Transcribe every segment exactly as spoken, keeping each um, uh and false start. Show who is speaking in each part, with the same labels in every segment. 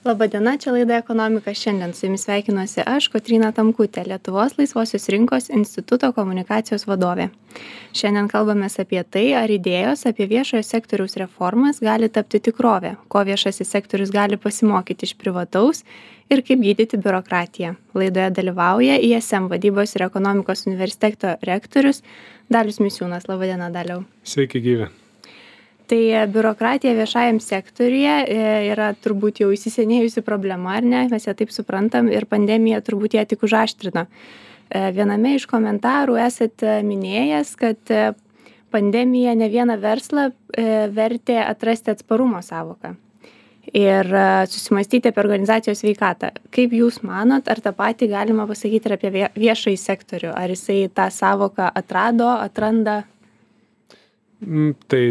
Speaker 1: Labadiena, čia laida Ekonomika šiandien. Su jumis sveikinuosi aš, Kotryna Tamkutė, Lietuvos laisvosios rinkos instituto komunikacijos vadovė. Šiandien kalbamės apie tai, ar idėjos apie viešojo sektoriaus reformas gali tapti tikrovė, ko viešasis sektorius gali pasimokyti iš privataus ir kaip gydyti biurokratiją. Laidoje dalyvauja I S M vadybos ir ekonomikos universiteto rektorius Dalius Misiūnas. Labadiena, Daliau.
Speaker 2: Sveiki gyvi.
Speaker 1: Tai biurokratija viešajam sektoriuje yra turbūt jau įsisenėjusi problema, ar ne? Mes ją taip suprantam ir pandemija turbūt ją tik užaštrino. Viename iš komentarų esat minėjęs, kad pandemija ne vieną verslą vertė atrasti atsparumo savoką ir susimastyti apie organizacijos sveikatą. Kaip jūs manot, ar tą patį galima pasakyti ir apie viešąjį sektorių? Ar jisai tą savoką atrado, atranda?
Speaker 2: Mm, tai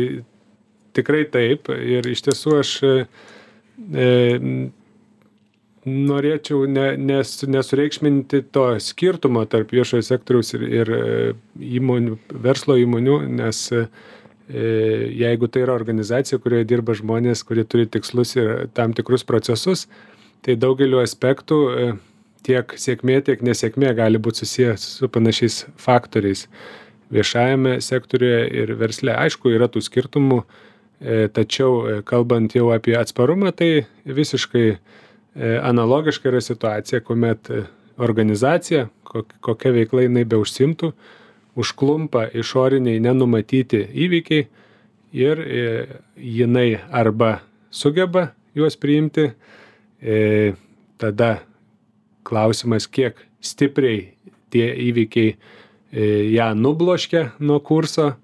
Speaker 2: Tikrai taip ir iš tiesų aš e, norėčiau ne, nes, nesureikšminti to skirtumo tarp viešojo sektoriaus ir, ir įmonių, verslo įmonių, nes e, jeigu tai yra organizacija, kurioje dirba žmonės, kurie turi tikslus ir tam tikrus procesus, tai daugeliu aspektų e, tiek sėkmė, tiek nesėkmė gali būti susijęs su panašiais faktoriais. Viešajame sektoriuje ir versle, aišku, yra tų skirtumų, tačiau kalbant jau apie atsparumą, tai visiškai analogiška yra situacija, kuomet organizacija, kokia veikla jinai beužsimtų, užklumpa išoriniai nenumatyti įvykiai ir jinai arba sugeba juos priimti, tada klausimas, kiek stipriai tie įvykiai ją nubloškia nuo kurso,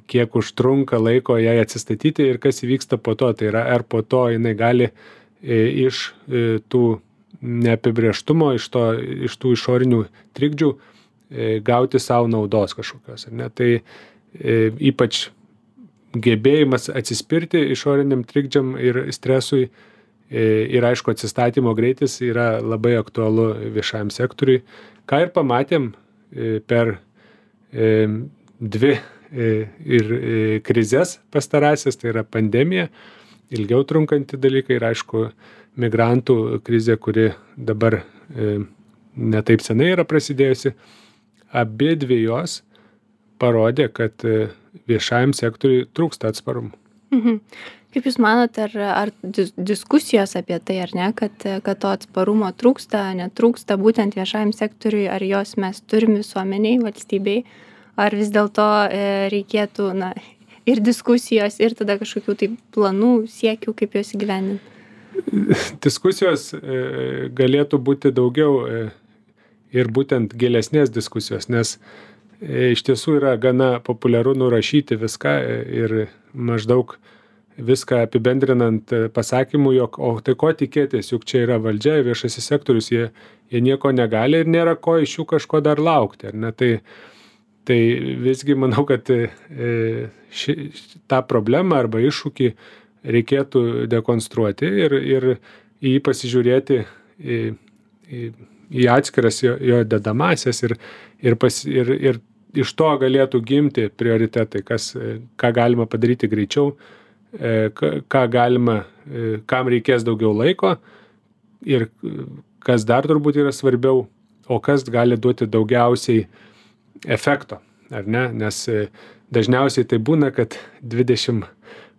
Speaker 2: kiek užtrunka laiko jai atsistatyti ir kas įvyksta po to. Tai yra, ar po to jinai gali e, iš e, tų neapibrėžtumo, iš, to, iš tų išorinių trikdžių e, gauti savo naudos kažkokios. Ar ne? Tai e, ypač gebėjimas atsispirti išoriniam trikdžiam ir stresui e, ir aišku atsistatymo greitis yra labai aktualu viešajam sektoriui. Ką ir pamatėm e, per e, dvi ir krizės pastarąsias, tai yra pandemija, ilgiau trunkanti dalykai ir aišku migrantų krizė, kuri dabar e, netaip senai yra prasidėjusi. Abi dvi jos parodė, kad viešajam sektoriui trūksta atsparumo.
Speaker 1: Mhm. Kaip Jūs manote, ar, ar diskusijos apie tai, ar ne, kad, kad to atsparumo trūksta, netrūksta būtent viešajam sektoriui, ar jos mes turim visuomeniai, valstybei, ar vis dėlto e, reikėtų na, ir diskusijos, ir tada kažkokių tai planų, siekių, kaip juos įgyvendinti?
Speaker 2: Diskusijos e, galėtų būti daugiau e, ir būtent gilesnės diskusijos, nes e, iš tiesų yra gana populiaru nurašyti viską e, ir maždaug viską apibendrinant pasakymų, jog, o tai ko tikėtis, juk čia yra valdžia, viešasis sektorius, jie, jie nieko negali ir nėra ko iš jų kažko dar laukti. Ar ne? Tai Tai visgi manau, kad ši, tą problemą arba iššūkį reikėtų dekonstruoti ir, ir į jį pasižiūrėti į, į, į atskiras jo, jo dedamasias ir, ir, pas, ir, ir iš to galėtų gimti prioritetai, kas, ką galima padaryti greičiau, ką galima, kam reikės daugiau laiko ir kas dar turbūt yra svarbiau, o kas gali duoti daugiausiai efekto, ar ne? Nes dažniausiai tai būna, kad dvidešimt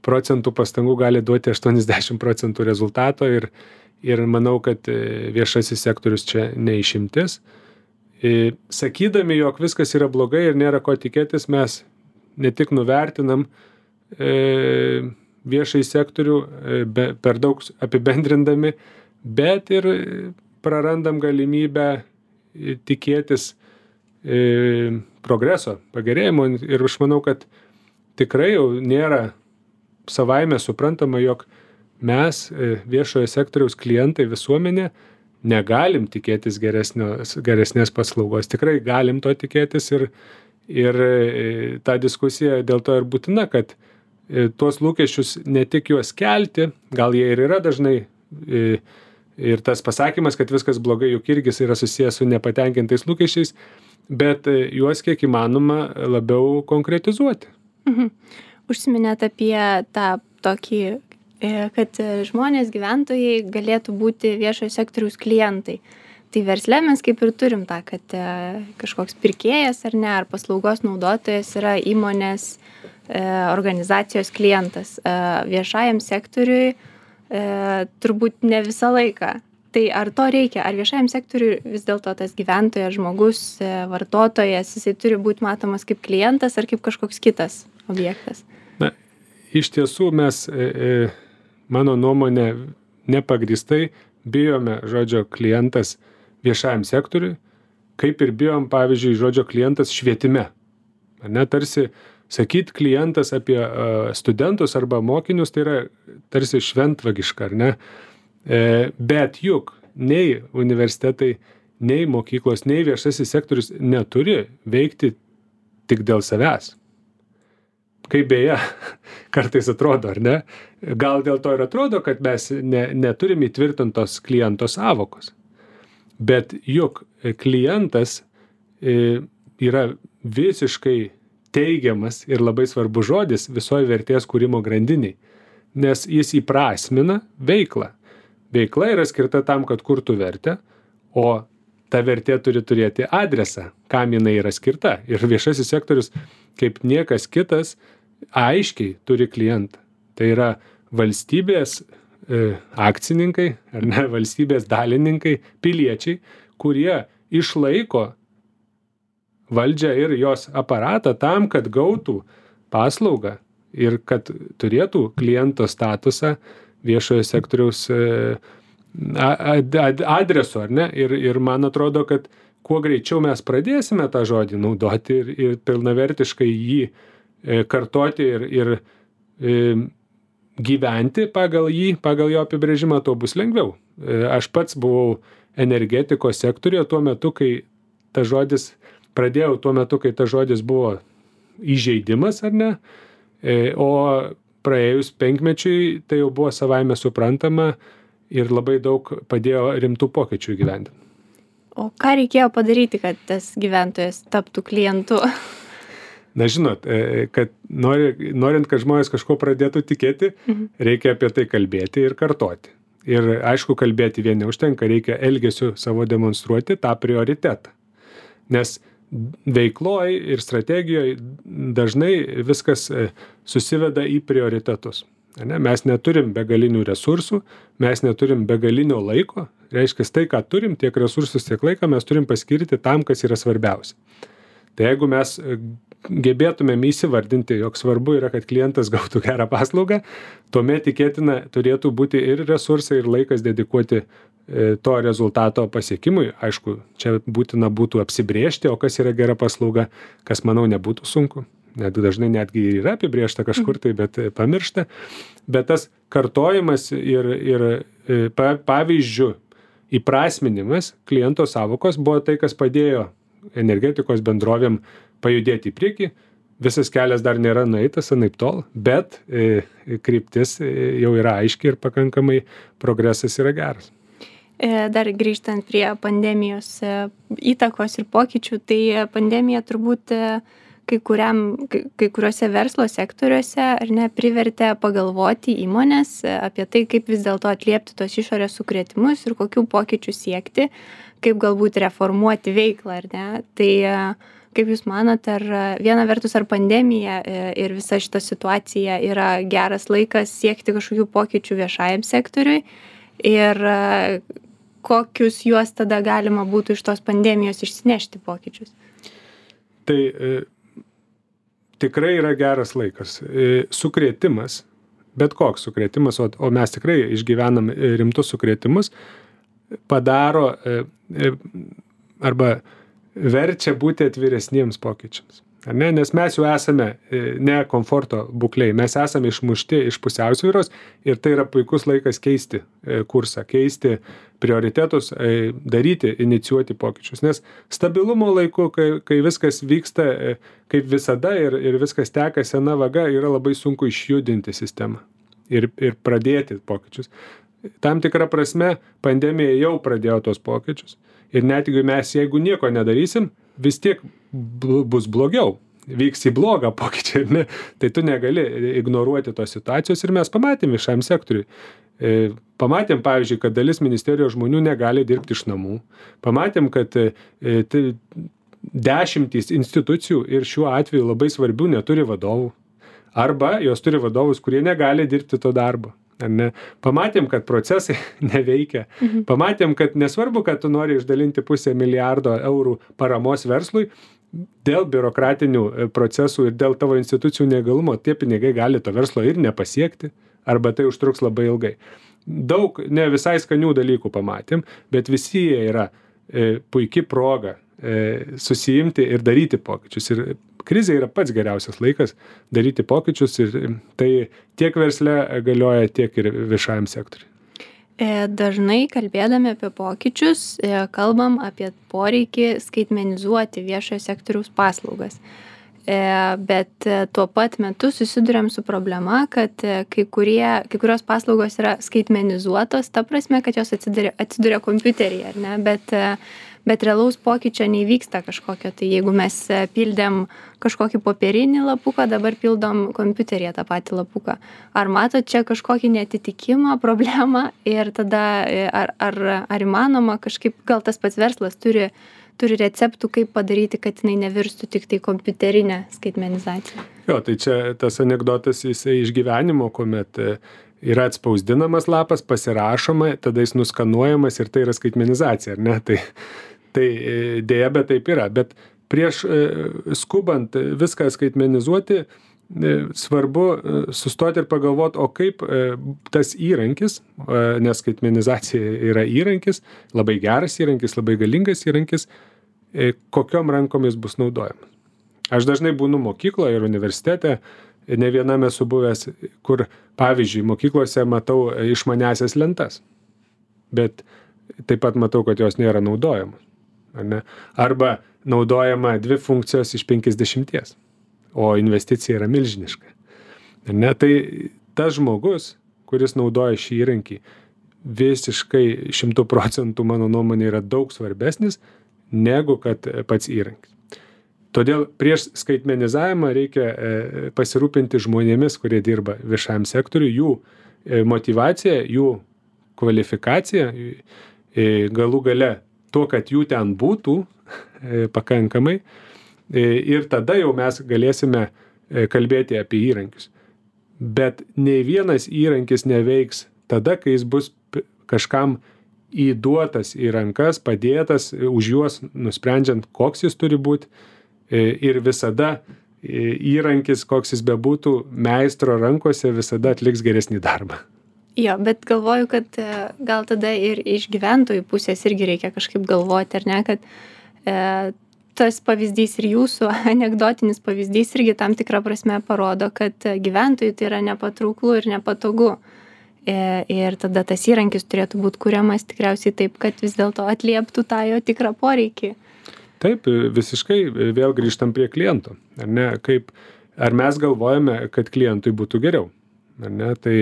Speaker 2: procentų pastangų gali duoti aštuoniasdešimt procentų rezultato ir, ir manau, kad viešasis sektorius čia neišimtis. Sakydami, jog viskas yra blogai ir nėra ko tikėtis, mes ne tik nuvertinam e, viešąjį sektorių e, be, per daug apibendrindami, bet ir prarandam galimybę tikėtis progreso, pagerėjimo ir aš manau, kad tikrai jau nėra savaime suprantama, jog mes viešojo sektoriaus klientai visuomenė negalim tikėtis geresnės, geresnės paslaugos. Tikrai galim to tikėtis ir, ir ta diskusija dėl to ir būtina, kad tuos lūkesčius ne tik juos kelti, gal jie ir yra dažnai ir tas pasakymas, kad viskas blogai, juk irgi yra susijęs su nepatenkintais lūkesčiais, bet juos kiek įmanoma labiau konkretizuoti.
Speaker 1: Mhm. Užsiminėt apie tą tokį kad žmonės, gyventojai galėtų būti viešojo sektoriaus klientai. Tai versle mes kaip ir turim tą, kad kažkoks pirkėjas ar ne, ar paslaugos naudotojas yra įmonės organizacijos klientas. Viešajam sektoriui turbūt ne visą laiką. Tai ar to reikia? Ar viešajam sektoriui vis dėlto tas gyventojas, žmogus, vartotojas, jisai turi būti matomas kaip klientas ar kaip kažkoks kitas objektas?
Speaker 2: Na, iš tiesų mes, mano nuomonė, nepagristai bijome žodžio klientas viešajam sektoriui, kaip ir bijom, pavyzdžiui, žodžio klientas švietime. Ar ne, tarsi sakyt klientas apie uh, studentus arba mokinius, tai yra tarsi šventvagiška, ar ne? E, bet juk nei universitetai, nei mokyklos, nei viešasis sektorius neturi veikti tik dėl savęs. Kaip beje, kartais atrodo, ar ne? Gal dėl to ir atrodo, kad mes ne, neturim įtvirtintos kliento sąvokos. Bet juk klientas yra visiškai teigiamas ir labai svarbus žodis visoje vertės kūrimo grandiniai, nes jis įprasmina veiklą. Veikla yra skirta tam, kad kurtų vertę, o ta vertė turi turėti adresą, kam jinai yra skirta. Ir viešasis sektorius, kaip niekas kitas, aiškiai turi klientą. Tai yra valstybės akcininkai, ar ne, valstybės dalininkai, piliečiai, kurie išlaiko valdžią ir jos aparatą tam, kad gautų paslaugą ir kad turėtų kliento statusą viešojo sektoriaus adresu, ar ne? Ir, ir man atrodo, kad kuo greičiau mes pradėsime tą žodį naudoti ir, ir pilnavertiškai jį kartoti ir, ir gyventi pagal jį, pagal jo apibrėžimą, to bus lengviau. Aš pats buvau energetikos sektoriuje tuo metu, kai ta žodis, pradėjau tuo metu, kai ta žodis buvo įžeidimas, ar ne, o praėjus penkmečiui tai jau buvo savaime suprantama ir labai daug padėjo rimtų pokyčių įgyvendinti.
Speaker 1: O ką reikėjo padaryti, kad tas gyventojas taptų klientu?
Speaker 2: Na, žinot, kad nori, norint, kad žmonės kažko pradėtų tikėti, mhm. reikia apie tai kalbėti ir kartoti. Ir aišku, kalbėti vien neužtenka, reikia elgesiu savo demonstruoti tą prioritetą. Nes veikloj ir strategijoje dažnai viskas susiveda į prioritetus. Ne? Mes neturim begalinių resursų, mes neturim begalinio laiko. Reiškia, tai, ką turim, tiek resursus, tiek laiką mes turim paskirti tam, kas yra svarbiausia. Tai jeigu mes gebėtumėm įsivardinti, jog svarbu yra, kad klientas gautų gerą paslaugą, tuomet tikėtina turėtų būti ir resursai, ir laikas dedikuoti to rezultato pasiekimui. Aišku, čia būtina būtų apsibrėžti, o kas yra gera paslauga, kas, manau, nebūtų sunku. Net dažnai netgi yra apibrėžta kažkur tai, bet pamiršta. Bet tas kartojimas ir, ir pavyzdžių įprasminimas kliento sąvokos buvo tai, kas padėjo energetikos bendrovėm pajudėti į priekį. Visas kelias dar nėra nueitas, anaip tol, bet e, kryptis jau yra aiški ir pakankamai progresas yra geras.
Speaker 1: Dar grįžtant prie pandemijos įtakos ir pokyčių, tai pandemija turbūt kai, kuriam, kai kuriuose verslo sektoriuose ar ne, privertė pagalvoti įmonės apie tai, kaip vis dėlto atliepti tos išorės sukrėtimus ir kokių pokyčių siekti, kaip galbūt reformuoti veiklą, ar ne. Tai kaip Jūs manot, ar viena vertus ar pandemija ir visa šita situacija yra geras laikas siekti kažkokių pokyčių viešajam sektoriui ir kokius juos tada galima būtų iš tos pandemijos išsinešti pokyčius?
Speaker 2: Tai e, tikrai yra geras laikas. E, sukrėtimas, bet koks sukrėtimas, o, o mes tikrai išgyvenam rimtus sukrėtimus, padaro e, e, arba verčia būti atviresniems pokyčiams. Ar ne? Nes mes jau esame ne komforto būklei, mes esame išmušti iš pusiausvyros ir tai yra puikus laikas keisti kursą, keisti prioritetus, daryti, inicijuoti pokyčius. Nes stabilumo laiku, kai, kai viskas vyksta kaip visada ir, ir viskas teka sena vaga, yra labai sunku išjudinti sistemą ir, ir pradėti pokyčius. Tam tikrą prasme pandemija jau pradėjo tos pokyčius. Ir net jeigu mes, jeigu nieko nedarysim, vis tiek bus blogiau. vyks į blogą pokyčiai, ar ne? Tai tu negali ignoruoti tos situacijos ir mes pamatėm viešajam sektoriui. Pamatėm, pavyzdžiui, kad dalis ministerijos žmonių negali dirbti iš namų. Pamatėm, kad dešimtys institucijų ir šiuo atveju labai svarbių neturi vadovų. Arba jos turi vadovus, kurie negali dirbti to darbo. Ar ne? Pamatėm, kad procesai neveikia. Mhm. Pamatėm, kad nesvarbu, kad tu nori išdalinti pusę milijardo eurų paramos verslui, dėl biurokratinių procesų ir dėl tavo institucijų neįgalumo tie pinigai gali to verslo ir nepasiekti, arba tai užtruks labai ilgai. Daug ne visai skanių dalykų pamatėm, bet visi jie yra e, puikia proga e, susijimti ir daryti pokyčius. Ir krizė yra pats geriausias laikas daryti pokyčius ir tai tiek versle galioja, tiek ir viešajam sektoriui.
Speaker 1: Dažnai kalbėdami apie pokyčius, kalbam apie poreikį skaitmenizuoti viešojo sektoriaus paslaugas. Bet tuo pat metu susiduriam su problema, kad kai, kurie, kai kurios paslaugos yra skaitmenizuotos, ta prasme, kad jos atsiduria, atsiduria kompiuteryje, ar ne? Bet, bet realaus pokyčio neįvyksta kažkokio. Tai jeigu mes pildėm kažkokį popierinį lapuką, dabar pildom kompiuteryje tą patį lapuką. Ar matot čia kažkokį netitikimą, problemą ir tada ar, ar, ar įmanoma kažkaip, gal tas pats verslas turi turi receptų, kaip padaryti, kad jinai nevirstų tik tai kompiuterinę skaitmenizaciją.
Speaker 2: Jo, tai čia tas anekdotas jisai iš gyvenimo, kuomet yra atspausdinamas lapas, pasirašoma, tada jis nuskanuojamas ir tai yra skaitmenizacija, ar ne? Tai, tai dėja, bet taip yra. Bet prieš skubant viską skaitmenizuoti, svarbu sustoti ir pagalvoti, o kaip tas įrankis, nes skaitmenizacija yra įrankis, labai geras įrankis, labai galingas įrankis, kokiom rankom jis bus naudojamas. Aš dažnai būnu mokykloje ir universitete, ne viename esu buvęs, kur, pavyzdžiui, mokyklose matau išmaniasias lentas, bet taip pat matau, kad jos nėra naudojamos. Ar ne? Arba naudojama dvi funkcijos iš penkiasdešimties. O investicija yra milžiniška. Ne, tai tas žmogus, kuris naudoja šį įrankį, visiškai šimtų procentų, mano nuomonė, yra daug svarbesnis negu kad pats įrankis. Todėl prieš skaitmenizavimą reikia pasirūpinti žmonėmis, kurie dirba viešajam sektoriui, jų motyvacija, jų kvalifikacija, galų gale to, kad jų ten būtų pakankamai. Ir tada jau mes galėsime kalbėti apie įrankius. Bet nei vienas įrankis neveiks tada, kai jis bus kažkam įduotas į rankas, padėtas už juos, nusprendžiant, koks jis turi būti. Ir visada įrankis, koks jis bebūtų, meistro rankose visada atliks geresnį darbą.
Speaker 1: Jo, bet galvoju, kad gal tada ir iš gyventojų pusės irgi reikia kažkaip galvoti, ar ne, kad e, tas pavyzdys ir jūsų anekdotinis pavyzdys irgi tam tikrą prasme parodo, kad gyventojui tai yra nepatrauklu ir nepatogu. Ir tada tas įrankis turėtų būti kuriamas tikriausiai taip, kad vis dėlto atlieptų tą jo tikrą poreikį.
Speaker 2: Taip, visiškai vėl grįžtam prie kliento. Ar ne? Kaip, ar mes galvojame, kad klientui būtų geriau? Ar ne? Tai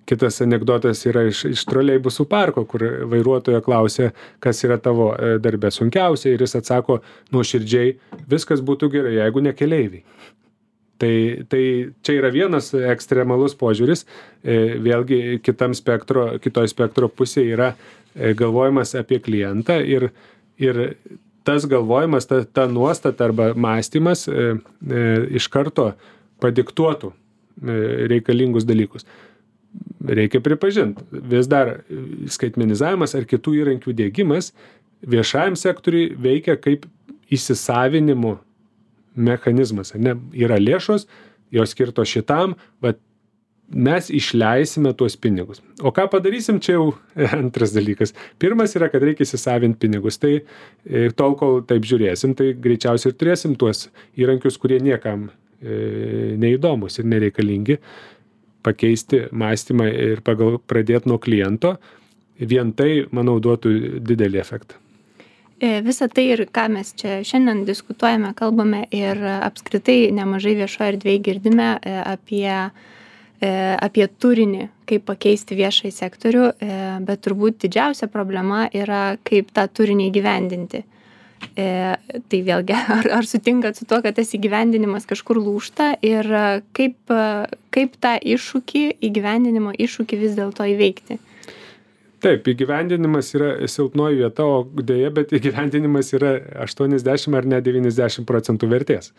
Speaker 2: kitas anekdotas yra iš, iš troleibusų parko, kur vairuotojo klausė, kas yra tavo darbe sunkiausia, ir jis atsako nuoširdžiai, viskas būtų gerai, jeigu ne keleiviai. Tai, tai čia yra vienas ekstremalus požiūris, vėlgi kitam spektro, kitoj spektro pusėje yra galvojimas apie klientą ir, ir tas galvojimas, ta, ta nuostata arba mąstymas e, e, iš karto padiktuotų reikalingus dalykus. Reikia pripažinti, vis dar skaitmenizavimas ar kitų įrankių diegimas viešajam sektoriui veikia kaip įsisavinimo mechanizmas. Ne? Yra lėšos, jos skirtos šitam, bet mes išleisime tuos pinigus. O ką padarysim, čia jau antras dalykas. Pirmas yra, kad reikia įsisavinti pinigus. Tai tol, kol taip žiūrėsim, tai greičiausiai ir turėsim tuos įrankius, kurie niekam neįdomus ir nereikalingi, pakeisti mąstymą ir pagal, pradėti nuo kliento, vien tai, manau, duotų didelį efektą.
Speaker 1: Visą tai ir ką mes čia šiandien diskutuojame, kalbame ir apskritai nemažai viešoje erdvėje girdime apie, apie turinį, kaip pakeisti viešąjį sektorių, bet turbūt didžiausia problema yra, kaip tą turinį įgyvendinti. E, tai vėlgi, ar, ar sutinkat su to, kad tas įgyvendinimas kažkur lūžta ir kaip, kaip tą iššūkį, įgyvendinimo iššūkį vis dėlto įveikti?
Speaker 2: Taip, įgyvendinimas yra silpnoji vieta, o dėja, bet įgyvendinimas yra aštuoniasdešimt ar net devyniasdešimt procentų vertės.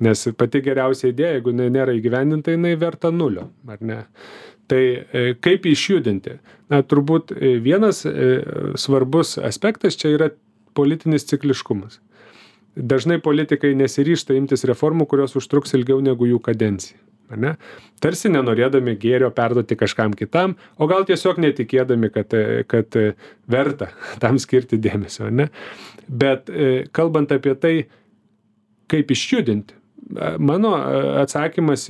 Speaker 2: Nes pati geriausia idėja, jeigu nėra įgyvendinta, jinai verta nulio, ar ne? Tai kaip išjudinti? Na, turbūt vienas svarbus aspektas čia yra politinis cikliškumas. Dažnai politikai nesiryžta imtis reformų, kurios užtruks ilgiau negu jų kadencija. Ne? Tarsi nenorėdami gėrio perduoti kažkam kitam, o gal tiesiog netikėdami, kad, kad verta tam skirti dėmesio. Ne? Bet kalbant apie tai, kaip išjudinti, mano atsakymas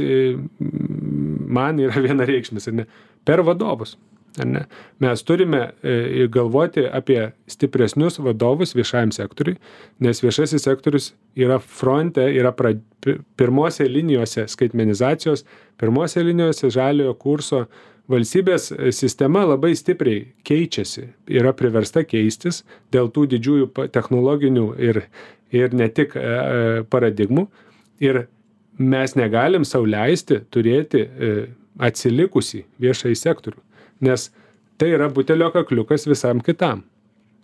Speaker 2: man yra vienareikšmis, ne? Per vadovus. Ne? Mes turime galvoti apie stipresnius vadovus viešajam sektoriui, nes viešasis sektorius yra fronte, yra pra, pirmose linijose skaitmenizacijos, pirmose linijose žaliojo kurso. Valstybės sistema labai stipriai keičiasi, yra priversta keistis dėl tų didžiųjų technologinių ir, ir ne tik paradigmų. Ir mes negalim sau leisti turėti atsilikusį viešąjį sektorių. Nes tai yra butelio kakliukas visam kitam.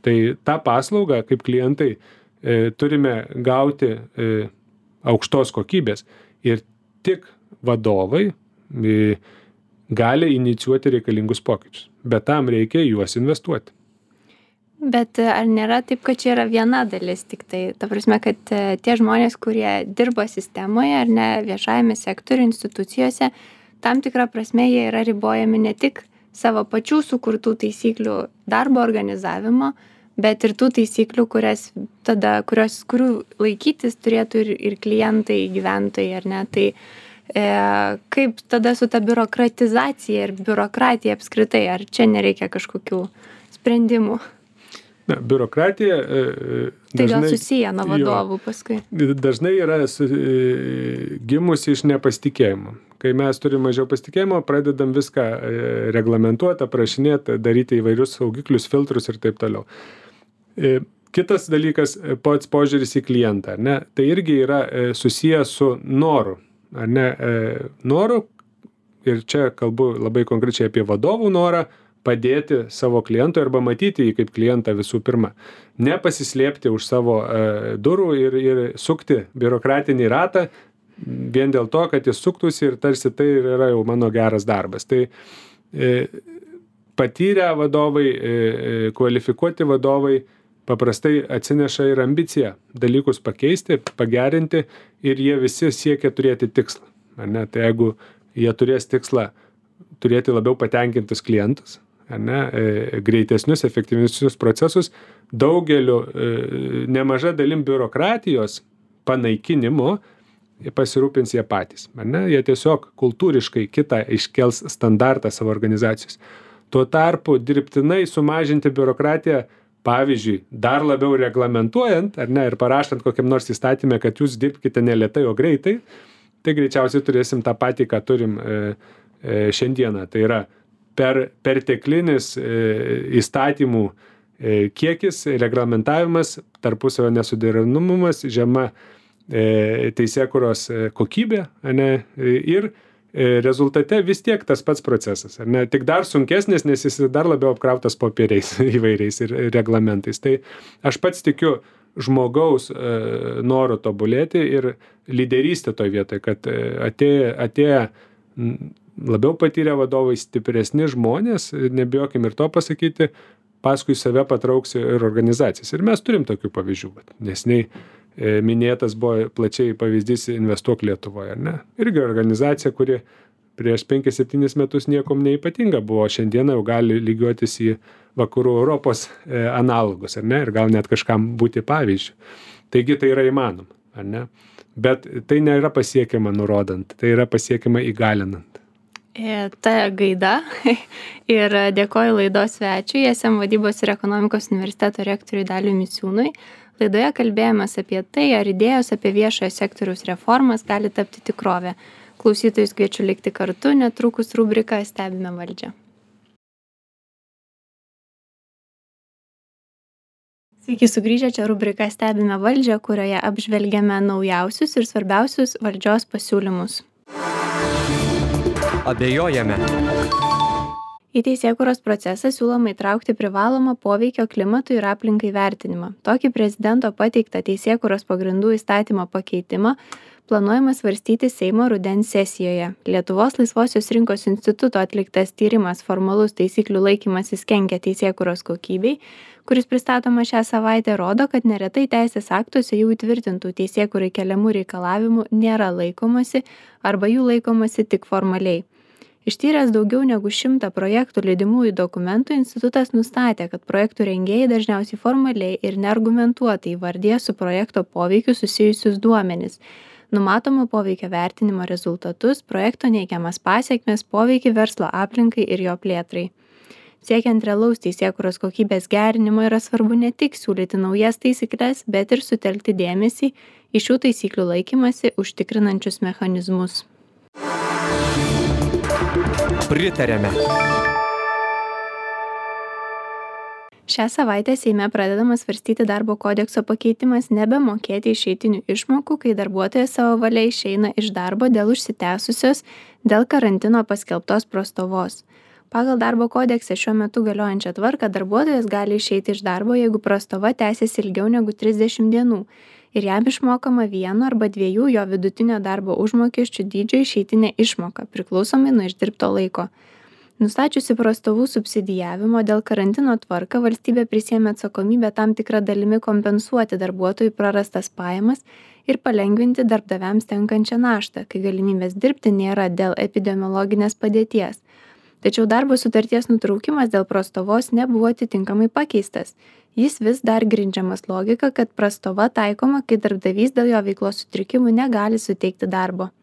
Speaker 2: Tai tą paslaugą, kaip klientai, e, turime gauti e, aukštos kokybės. Ir tik vadovai e, gali inicijuoti reikalingus pokyčius. Bet tam reikia juos investuoti.
Speaker 1: Bet ar nėra taip, kad čia yra viena dalis tik tai? Ta prasme, kad tie žmonės, kurie dirba sistemoje ar ne viešajame sektoriuje, institucijose, tam tikrą prasme jie yra ribojami ne tik savo pačių sukurtų taisyklių darbo organizavimo, bet ir tų taisyklių, kurias tada, kurios, kurių laikytis turėtų ir, ir klientai, gyventojai, ar ne? Tai e, kaip tada su ta biurokratizacija ir biurokratija apskritai, ar čia nereikia kažkokių sprendimų?
Speaker 2: Na, biurokratija e,
Speaker 1: tai
Speaker 2: dažnai,
Speaker 1: gal susiję nuo vadovų
Speaker 2: jo,
Speaker 1: paskui.
Speaker 2: Dažnai yra su, e, gimusi iš nepasitikėjimo. Kai mes turime mažiau pasitikėjimo, pradedam viską e, reglamentuoti, aprašinėti, daryti įvairius saugiklius, filtrus ir taip toliau. E, kitas dalykas, pats požiūris į klientą, ne? Tai irgi yra e, susijęs su noru. Ar ne? E, noru, ir čia kalbu labai konkrečiai apie vadovų norą, padėti savo klientui arba matyti jį kaip klientą visų pirma. Nepasislėpti už savo e, durų ir, ir sukti biurokratinį ratą vien dėl to, kad jis suktųsi ir tarsi tai yra jau mano geras darbas. Tai e, patyrę vadovai, e, kvalifikuoti vadovai paprastai atsineša ir ambiciją dalykus pakeisti, pagerinti ir jie visi siekia turėti tikslą. Ar ne? Tai jeigu jie turės tikslą turėti labiau patenkintus klientus, ar ne, e, greitesnius, efektyvesnius procesus, daugeliu e, nemaža dalim biurokratijos panaikinimo pasirūpins jie patys. Ar ne? Jie tiesiog kultūriškai kitą iškels standartą savo organizacijos. Tuo tarpu dirbtinai sumažinti biurokratiją, pavyzdžiui, dar labiau reglamentuojant, ar ne, ir parašant kokiam nors įstatymę, kad jūs dirbkite ne lėtai, o greitai, tai greičiausiai turėsim tą patį, ką turim e, e, šiandieną. Tai yra per perteklinis e, įstatymų e, kiekis, reglamentavimas, tarpusavio nesuderinamumas, žema teisėkūros kokybė, ne, ir rezultate vis tiek tas pats procesas, ne, tik dar sunkesnis, nes jis dar labiau apkrautas popieriais įvairiais ir reglamentais. Tai aš pats tikiu žmogaus noru tobulėti ir lyderystė toj vietoj, kad atėję, atėję labiau patyrę vadovai, stipresni žmonės, nebijokim ir to pasakyti, paskui save patrauks ir organizacijas. Ir mes turim tokių pavyzdžių, nes nei minėtas buvo plačiai pavyzdys Investuok Lietuvoje, ne? Irgi organizacija, kuri prieš penkis septynis metus niekom neypatinga buvo, šiandieną jau gali lygiuotis į vakarų Europos analogus, ar ne? Ir gal net kažkam būti pavyzdžių. Taigi tai yra įmanoma, ar ne? Bet tai nėra pasiekiama nurodant, tai yra pasiekiama įgalinant.
Speaker 1: Ta gaida ir dėkoju laidos svečiui, S M vadybos ir ekonomikos universiteto rektoriui Daliui Misiūnui. Laidoje kalbėjomės apie tai, ar idėjos apie viešojo sektoriaus reformas gali tapti tikrovę. Klausytojus kviečiu likti kartu, netrukus rubrika Stebime valdžią. Sveiki sugrįžę, čia rubrika Stebime valdžią, kurioje apžvelgiame naujausius ir svarbiausius valdžios pasiūlymus.
Speaker 3: Abejojame.
Speaker 1: Į teisėkūros procesą siūloma įtraukti privalomą poveikio klimatui ir aplinkai vertinimą. Tokį prezidento pateiktą teisėkūros pagrindų įstatymo pakeitimą planuojama svarstyti Seimo rudens sesijoje. Lietuvos laisvosios rinkos instituto atliktas tyrimas formalus taisyklių laikymasis kenkia teisėkūros kokybei, kuris pristatoma šią savaitę, rodo, kad neretai teisės aktuose jau įtvirtintų teisėkūrai keliamų reikalavimų nėra laikomasi arba jų laikomasi tik formaliai. Ištyręs daugiau negu šimtą projektų lydimųjų dokumentų, institutas nustatė, kad projektų rengėjai dažniausiai formaliai ir neargumentuotai įvardija su projekto poveikiu susijusius duomenis, numatomo poveikio vertinimo rezultatus, projekto neigiamas pasiekmes, poveikį verslo aplinkai ir jo plėtrai. Siekiant realaus teisėkūros kokybės gerinimo yra svarbu ne tik siūlyti naujas taisykles, bet ir sutelkti dėmesį į šių taisyklių laikymasi užtikrinančius mechanizmus.
Speaker 3: Pritarėme.
Speaker 1: Šią savaitę Seime pradedamas svarstyti darbo kodekso pakeitimas nebemokėti išeitinių išmokų, kai darbuotojas savo valia išeina iš darbo dėl užsitęsusios dėl karantino paskelbtos prastovos. Pagal darbo kodekse šiuo metu galiojančią tvarką darbuotojas gali išeiti iš darbo, jeigu prastova tęsiasi ilgiau negu trisdešimt dienų ir jam išmokama vieno arba dviejų jo vidutinio darbo užmokesčių dydžio išeitinė išmoka, priklausomai nuo išdirbto laiko. Nustačiusi prastovų subsidijavimo dėl karantino tvarką, valstybė prisiėmė atsakomybę tam tikrą dalimi kompensuoti darbuotojų prarastas pajamas ir palengvinti darbdaviams tenkančią naštą, kai galimybės dirbti nėra dėl epidemiologinės padėties. Tačiau darbo sutarties nutraukimas dėl prastovos nebuvo atitinkamai pakeistas. Jis vis dar grindžiamas logika, kad prastova taikoma, kai darbdavys dėl jo veiklos sutrikimų negali suteikti darbo.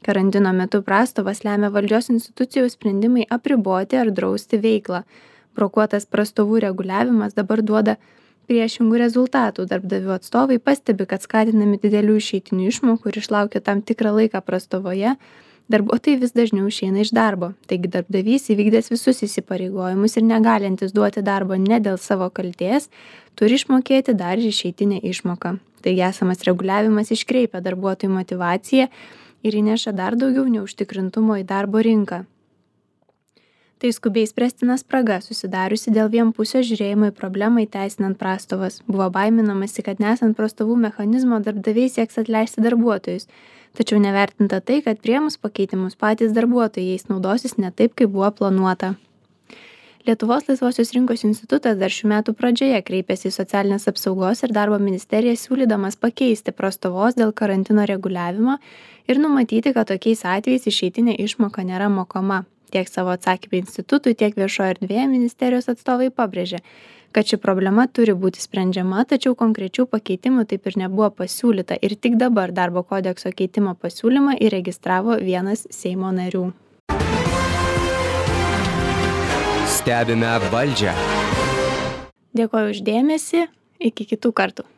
Speaker 1: Karantino metu prastovas lemia valdžios institucijų sprendimai apriboti ar drausti veiklą. Brokuotas prastovų reguliavimas dabar duoda priešingų rezultatų. Darbdavių atstovai pastebi, kad skatinami didelių išeitinių išmokų ir išlaukia tam tikrą laiką prastovoje, darbuotojai vis dažniau išeina iš darbo. Taigi darbdavys įvykdęs visus įsipareigojimus ir negalintis duoti darbo ne dėl savo kaltės, turi išmokėti dar ir išeitinę išmoką. Taigi esamas reguliavimas iškreipia darbuotojų motyvaciją ir įneša dar daugiau neužtikrintumo į darbo rinką. Tai skubiai spręstina spraga susidariusi dėl vienpusio žiūrėjimo į problemą įteisinant prastovas. Buvo baiminamasi, kad nesant prastovų mechanizmo darbdaviai sieks atleisti darbuotojus. Tačiau nevertinta tai, kad priėmus pakeitimus patys darbuotojai jais naudosis ne taip, kaip buvo planuota. Lietuvos laisvosios rinkos institutas dar šių metų pradžioje kreipėsi į socialinės apsaugos ir darbo ministeriją siūlydamas pakeisti prastovos dėl karantino reguliavimo ir numatyti, kad tokiais atvejais išeitinė išmoka nėra mokama. Tiek savo atsakymą institutui, tiek viešoje erdvėje ministerijos atstovai pabrėžė, kad ši problema turi būti sprendžiama, tačiau konkrečių pakeitimų taip ir nebuvo pasiūlyta ir tik dabar darbo kodekso keitimo pasiūlymą įregistravo vienas Seimo narių.
Speaker 3: Stebime valdžią.
Speaker 1: Dėkoju už dėmesį, iki kitų kartų.